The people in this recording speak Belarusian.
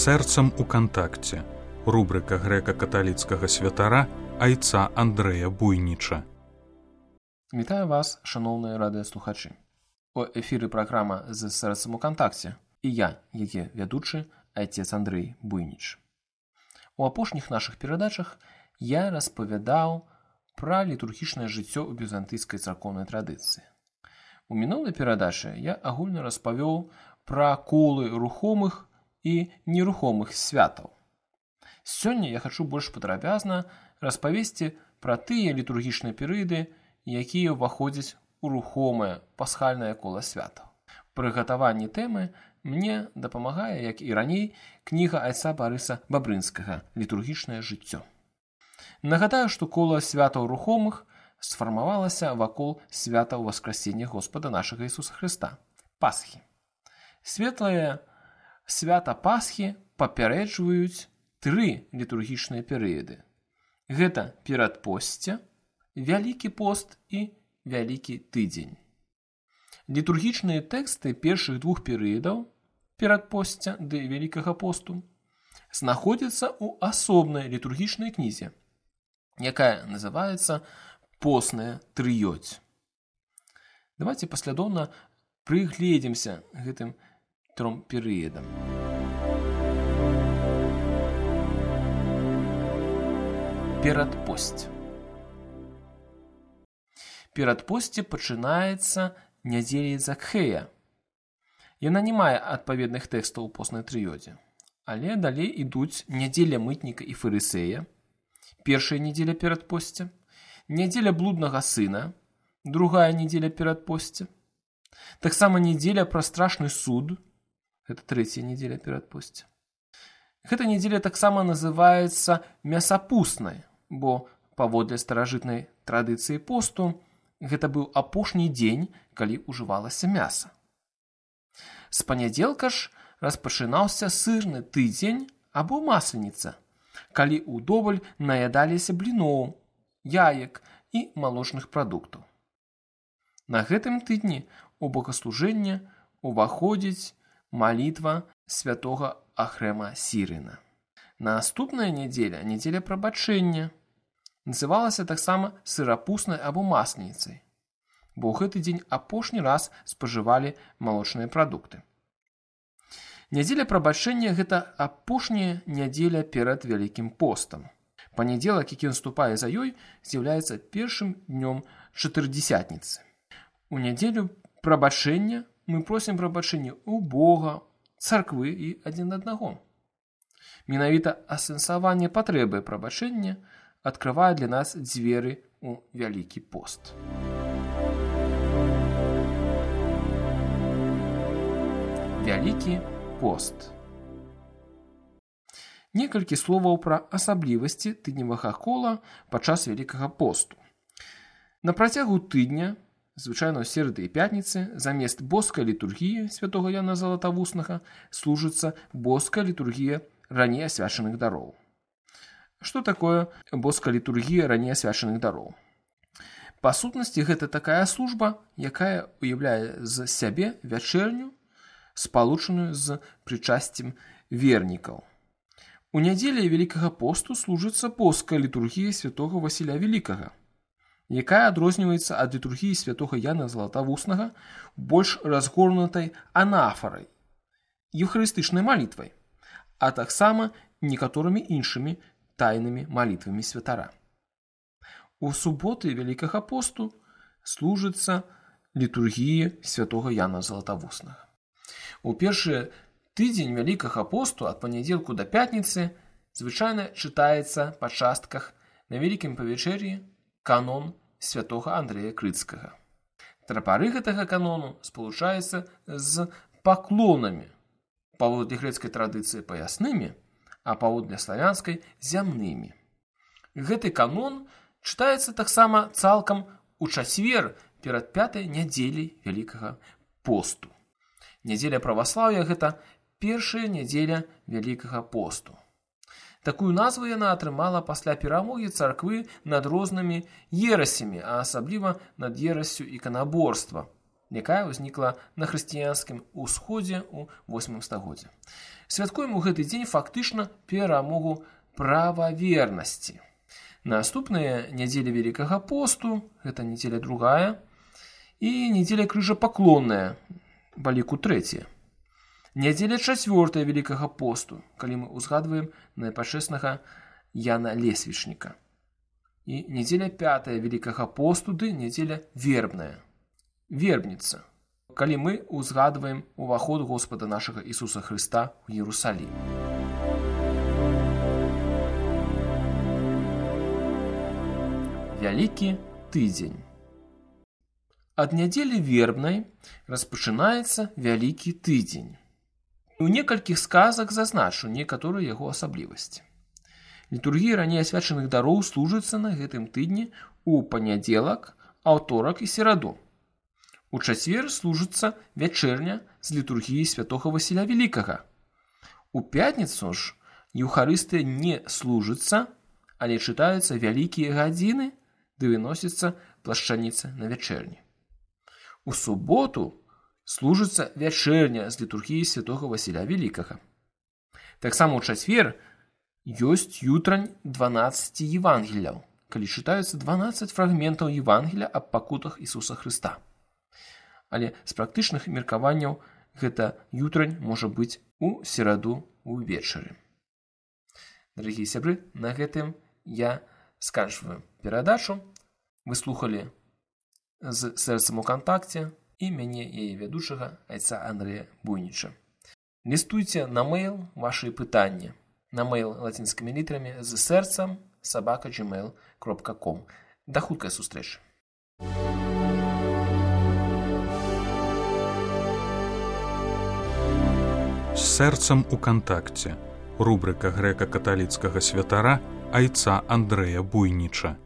Сэрцам у кантакце. Рубрика грэка-каталіцкага святара айца Андрэя Буйніча. Вітаю вас, шановні радыёслухачы. У эфіры праграма з сэрцам у кантакце і я, яе вядучы, айцец Андрэй Буйніч. У апошніх нашых перадачах я распавядаў пра літургічнае жыццё ў візантыйскай царкоўнай традыцыі. У мінулай перадачы я агульна распавёў пра колы рухомых і нерухомых святаў. Сёння я хачу больш падрабязна распавесці пра тыя літургічныя перыяды, якія ўваходзяць у рухомае пасхальнае кола святаў. Пры гатаванні тэмы мне дапамагае, як і раней, кніга айца Барыса Бабрынскага «Літургічнае жыццё». Нагадаю, што кола святаў рухомых сфармавалася вакол свята ўваскрасення Господа нашага Ісуса Хрыста – Пасхі. Светлае свята Пасхі папярэджваюць тры літургічныя перыяды. Гэта перадпосце, Вялікі пост і Вялікі тыдзень. Літургічныя тэксты першых двух перыядаў, перадпосця ды Вялікага посту, знаходзяцца ў асобнай літургічнай кнізе, якая называецца «Постная трыёдзь». Давайте паслядоўна прыгледзімся гэтым тром перыядам. Перадпосць. Перадпосце пачынаецца нядзеляй Закхея. Яна не мае адпаведных тэкстаў у постнай трыёдзе, але далей ідуць нядзеля мытніка і фарысея, першая нядзеля перадпосця, нядзеля блуднага сына, другая нядзеля перадпосця, таксама нядзеля пра страшны суд, гэта трэцяя нядзеля перадпосця. Гэта нядзеля таксама называецца мясапуснай, бо паводле старажытнай традыцыі посту гэта быў апошні дзень, калі ўжывалася мяса. З панядзелка ж распачынаўся сырны тыдзень або масленіца, калі ўдоваль наядаліся бліноў, яек і малочных прадуктаў. На гэтым тыдні у богаслужэнне уваходзіць малітва святога Ахрэма Сірына. Наступная нядзеля, нядзеля прабачэння, называлася таксама сырапуснай або масленіцай, бо ў гэты дзень апошні раз спажывалі малочныя прадукты. Нядзеля прабачэння – гэта апошняя нядзеля перад Вялікім постам. Панядзелак, які наступае за ёй, з'яўляецца першым днём чатырдзесятніцы. У нядзелю прабачэння мы просім прабачэння ў Бога, царквы і адзін аднаго. Менавіта асэнсаванне патрэбы прабачэння адкрывае для нас дзверы ў Вялікі пост. Вялікі пост. Некалькі словаў пра асаблівасці тыдневага кола падчас Вялікага посту. На працягу тыдня, звычайна ў серады і пятніцы, замест боскай літургіі святога Яна Залатавуснага служыцца боская літургія раней асвячаных дароў. Што такое боская літургія раней асвячаных дароў? Па сутнасці, гэта такая служба, якая уяўляе з сябе вячэрню, спалучаную з прычасцем вернікаў. У нядзелі Вялікага посту служыцца боская літургія святога Васіля Вялікага, якая адрозніваецца ад літургіі святога Яна Залатавуснага больш разгорнутай анафарай, еўхарыстычнай малітвай, а таксама некаторымі іншымі тайнымі малітвамі святара. У суботы Вялікага посту служыцца літургія святога Яна Залатавуснага. У першы тыдзень Вялікага посту ад панядзелку да пятніцы звычайна чытаецца па частках на Вялікім павячэр'і канон святога Андрэя Крыцкага. Трапары гэтага канону спалучаюцца з паклонамі, паводле грэцкай традыцыі паяснымі, а паводле славянскай зямнымі. Гэты канон чытаецца таксама цалкам у чацвер перад пятай нядзеляй Вялікага посту. Нядзеля праваслаўя – гэта першая нядзеля Вялікага посту. Такую назву яна атрымала пасля перамогі царквы над рознымі ерасямі, а асабліва над ерасцю іканаборства якая ўзнікла на хрысціянскім усходзе ў 8 стагоддзі. Святкуем у гэты дзень фактычна перамогу прававернасці. Наступныя нядзелі Вялікага посту, гэта нядзеля другая, і нядзеля крыжапаклонная, баліку трэцяя. Нядзеля чацвёртая Вялікага посту, калі мы ўзгадваем найпачэснага Яна Лесвічніка. І нядзеля пятая Вялікага посту, ды нядзеля вербная. Вербніца, калі мы ўзгадваем уваход Господа нашага Ісуса Хрыста ў Іерусалім. Вялікі тыдзень. Ад нядзелі вербнай распачынаецца Вялікі тыдзень. У некалькіх сказах зазначу некаторыя яго асаблівасці. Літургія раней асвячаных дароў служыцца на гэтым тыдні ў панядзелак, аўторак і сераду. У чацвер служыцца вячэрня з літургіі святога Васіля Вялікага. У пятніцу ж Еўхарыстыя не служыцца, але чытаюцца вялікія гадзіны, ды выносіцца плашчаніца на вячэрні. У суботу служыцца вячэрня з літургіі святога Васіля Вялікага. Таксама ў чацвер ёсць ютрань 12 Евангелияў, калі чытаюцца 12 фрагментаў Евангелія аб пакутах Ісуса Хрыста. Але з практычных меркаванняў гэта ютрань можа быць у сераду ўвечары. Дарагія сябры, на гэтым я сканчваю перадачу. Вы слухалі з сэрцам у кантакце і мяне, яе вядучага, айца Андрэя Буйніча. Лістуйце на мэйл вашы пытанні. На мэйл лацінскімі літарамі з сэрцам @gmail.com. Да хуткай сустрэчы. З сэрцам у кантакце. Рубрика грэка-каталіцкага святара айца Андрэя Буйніча.